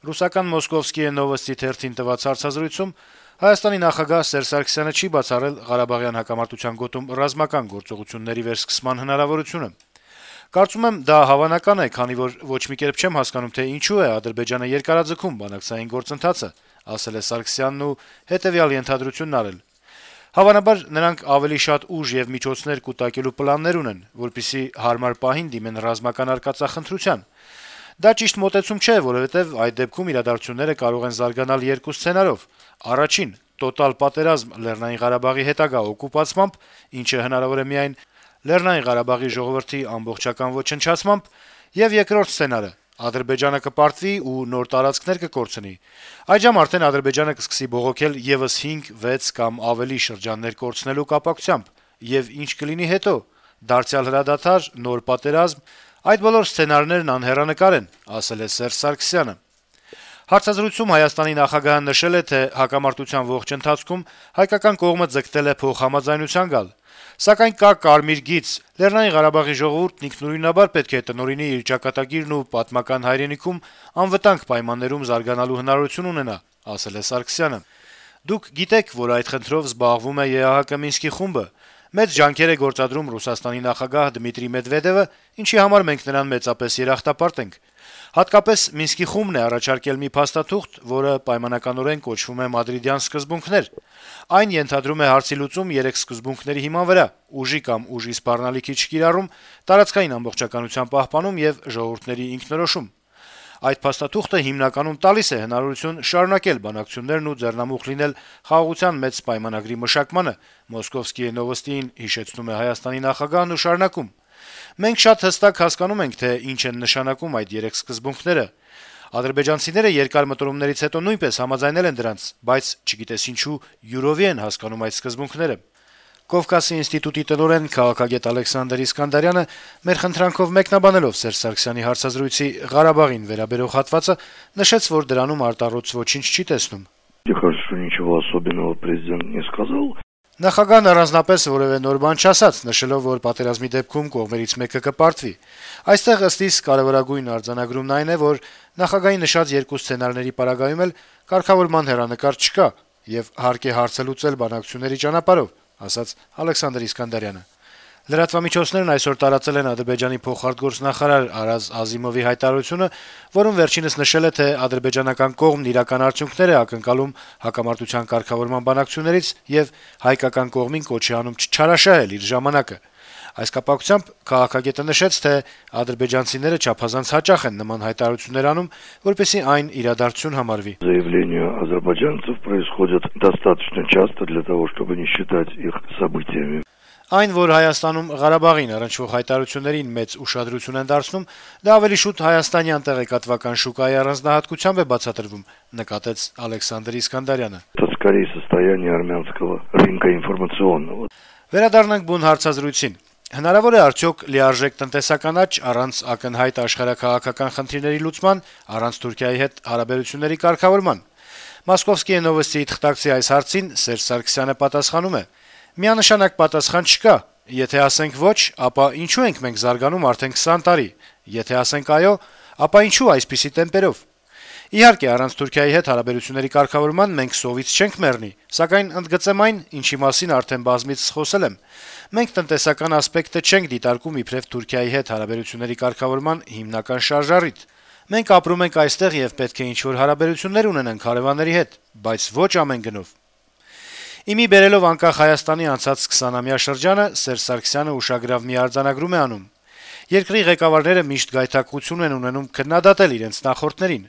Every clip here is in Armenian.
Ռուսական «Մոսկովսկիե նովոստի» թերթին տված հարցազրույցում Հայաստանի նախագահ Սերժ Սարգսյանը չի բացառել Ղարաբաղյան հակամարտության գոտում ռազմական գործողությունների վերսկսման հնարավորությունը։ «Կարծում եմ, դա հավանական է, քանի որ ոչ մի կերպ չեմ հասկանում, թե ինչու է Ադրբեջանը երկարաձգում բանակցային գործընթացը», ասել է Սարգսյանն ու հետեւյալ ենթադրությունն արել. «Հավանաբար նրանք ավելի շատ ուժ եւ միջոցներ կուտակելու պլաններ ունեն, որպեսզի հարմար պահին դիմեն ռազմական արկածախնդրության։ Դա ճիշտ մոտեցում չէ, որովհետեւ այդ դեպքում իրադարձությունները կարող են զարգանալ երկու սցենարով. առաջին՝ տոտալ պատերազմ Լեռնային Ղարաբաղի հետագա օկուպացմամբ, ինչը հնարավոր է միայն Լեռնային Ղարաբաղի ժողովրդի ամբողջական ոչնչացմամբ, եւ երկրորդ սցենարը՝ Ադրբեջանը կպարտվի ու նոր տարածքներ կկորցնի։ Այդժամ արդեն Ադրբեջանը կսկսի բողոքել եւս 5, 6 կամ ավելի շրջաններ կորցնելու կապակցությամբ, եւ ինչ կլինի հետո՝ դարձյալ հրադադար, նոր պատերազմ։ Այդ բոլոր սցենարներն անհեռանկար են», ասել է Սերժ Սարգսյանը։ Հարցազրույցում Հայաստանի նախագահը նշել է, թե հակամարտության ողջ ընթացքում հայկական կողմը ձգտել է փոխհամաձայնության գալ։ Սակայն կա կարմիր գիծ. Լեռնային Ղարաբաղի ժողովուրդն ինքնուրույնաբար պետք է տնօրինի իր ճակատագիրն ու պատմական հայրենիքում անվտանգ պայմաններում զարգանալու հնարավորություն ունենա, ասել է Սարգսյանը։ Դուք գիտեք, որ այդ խնդրով զբաղվում է ԵԱՀԿ Մինսկի խումբը։ Մեծ ջանքեր է գործադրում Ռուսաստանի նախագահ Դմիտրի Մեդվեդևը, ինչի համար մենք նրան մեծապես երախտապարտ ենք։ Հատկապես Մինսկի խումբն է առաջարկել մի փաստաթուղթ, որը պայմանականորեն կոչվում է Մադրիդյան սկզբունքներ։ Այն ենթադրում է հարցի լուծում 3 սկզբունքների հիման վրա՝ ուժի կամ ուժի սպառնալիքի չկիրառում, տարածքային ամբողջականության պահպանում եւ ժողովուրդների ինքնորոշում։ Այդ փաստաթուղթը հիմնականում տալիս է հնարավորություն շարունակել բանակցություններն ու ձեռնամուխ լինել խաղաղության մեծ պայմանագրի մշակմանը, «Մոսկովսկիե նովոստիին» հիշեցնում է Հայաստանի նախագահն ու շարունակում. «Մենք շատ հստակ հասկանում ենք, թե ինչ են նշանակում այդ 3 սկզբունքները։ Ադրբեջանցիները երկար մտորումներից հետո նույնպես համաձայնել են դրանց, բայց չգիտես ինչու յուրովի են հասկանում այդ սկզբունքները»։ Կովկասի ինստիտուտի տնօրեն քաղաքագետ Ալեքսանդր Իսկանդարյանը մեր խնդրանքով մեկնաբանելով Սերժ Սարգսյանի հարցազրույցի Ղարաբաղին վերաբերող հատվածը նշեց, որ դրանում արտառոց ոչինչ չի տեսնում։ Նախագահն առանձնապես որևէ նոր բան չասաց, նշելով, որ պատերազմի դեպքում կողմերից մեկը կպարտվի։ Այստեղ ըստ իս կարեւորագույն արձանագրումն այն է, որ նախագահի նշած երկու սցենարների պարագայում էլ կարգավորման հեռանկար չկա եւ հարկ է հարցը լուծել բանակցությունների ճանապարհով, ասաց Ալեքսանդր Իսկանդարյանը։ Լրատվամիջոցներն այսօր տարածել են Ադրբեջանի փոխարտգործնախարար Արազ Ազիմովի հայտարարությունը, որում վերջինս նշել է, թե ադրբեջանական կողմն իրական արդյունքներ է ակնկալում հակամարտության կարգավորման բանակցություններից եւ հայկական կողմին կոչ է անում չչարաշահել իր ժամանակը։ Այս կապակցությամբ քաղաքագետը նշեց, թե ադրբեջանցիները չափազանց հաճախ են նման հայտարարություններ անում, որպեսզի այն իրադարձություն համարվի։ Заявления азербайджанцев происходят достаточно часто для того, чтобы не считать их событиями. Այն, որ Հայաստանում Ղարաբաղին առնչվող հայտարարություններին մեծ уշադրություն են դարձնում, դա ավելի շուտ հայաստանյան տեղեկատվական շուկայի առանձնահատկությամբ է բացատրվում, նկատեց Ալեքսանդր Իսկանդարյանը։ Это скорее состояние армянского рынка информационного. Վերադառնանք բուն հարցազրույցին։ Հնարավոր է արդյոք լիարժեք տնտեսական աճ առանց ակնհայտ աշխարհաքաղաքական խնդիրների լուծման, առանց Թուրքիայի հետ հարաբերությունների կարգավորման։ Մոսկովսկիե նովոստիի թղթակցի այս հարցին Սերժ Սարգսյանը պատասխանում է. «Միանշանակ պատասխան չկա։ Եթե ասենք ոչ, ապա ինչու ենք մենք զարգանում արդեն 20 տարի։ Եթե ասենք այո, ապա ինչու այսպիսի տեմպերով։ Իհարկե, առանց Թուրքիայի հետ հարաբերությունների կարգավորման մենք սովից չենք մեռնի, սակայն ընդգծեմ այն, ինչի մասին արդեն բազմիցս խոսել եմ։ Մենք տնտեսական ասպեկտը չենք դիտարկում իբրև Թուրքիայի հետ հարաբերությունների կարգավորման հիմնական շարժառիթ։ Մենք ապրում ենք այստեղ եւ պետք է ինչ-որ հարաբերություններ ունենանք հարևանների հետ, բայց ոչ ամեն գնով»։ Իմի բերելով անկախ Հայաստանի անցած 20-ամյա շրջանը Սերժ Սարգսյանը ուշագրավ մի արձանագրում է անում. «Երկրի ղեկավարները միշտ գայթակղություն են ունենում քննադատել իրենց նախորդներին։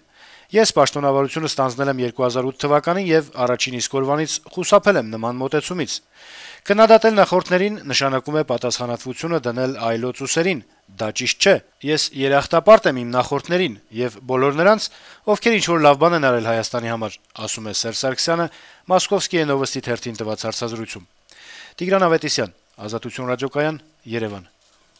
Ես պաշտոնավարությունը ստանձնել եմ 2008 թվականին եւ առաջին իսկ օրվանից խուսափել եմ նման մոտեցումից։ Քննադատել նախորդներին նշանակում է պատասխանատվությունը դնել այլոց ուսերին։ Դա ճիշտ չէ։ Ես երախտապարտ եմ իմ նախորդներին եւ բոլոր նրանց, ովքեր ինչ-որ լավ բան են արել Հայաստանի համար», ասում է Սերժ Սարգսյանը Մոսկովսկիե նովոստի թերթին տված հարցազրույցում։ Տիգրան Ավետիսյան, Ազատություն ռադիոկայան, Երևան։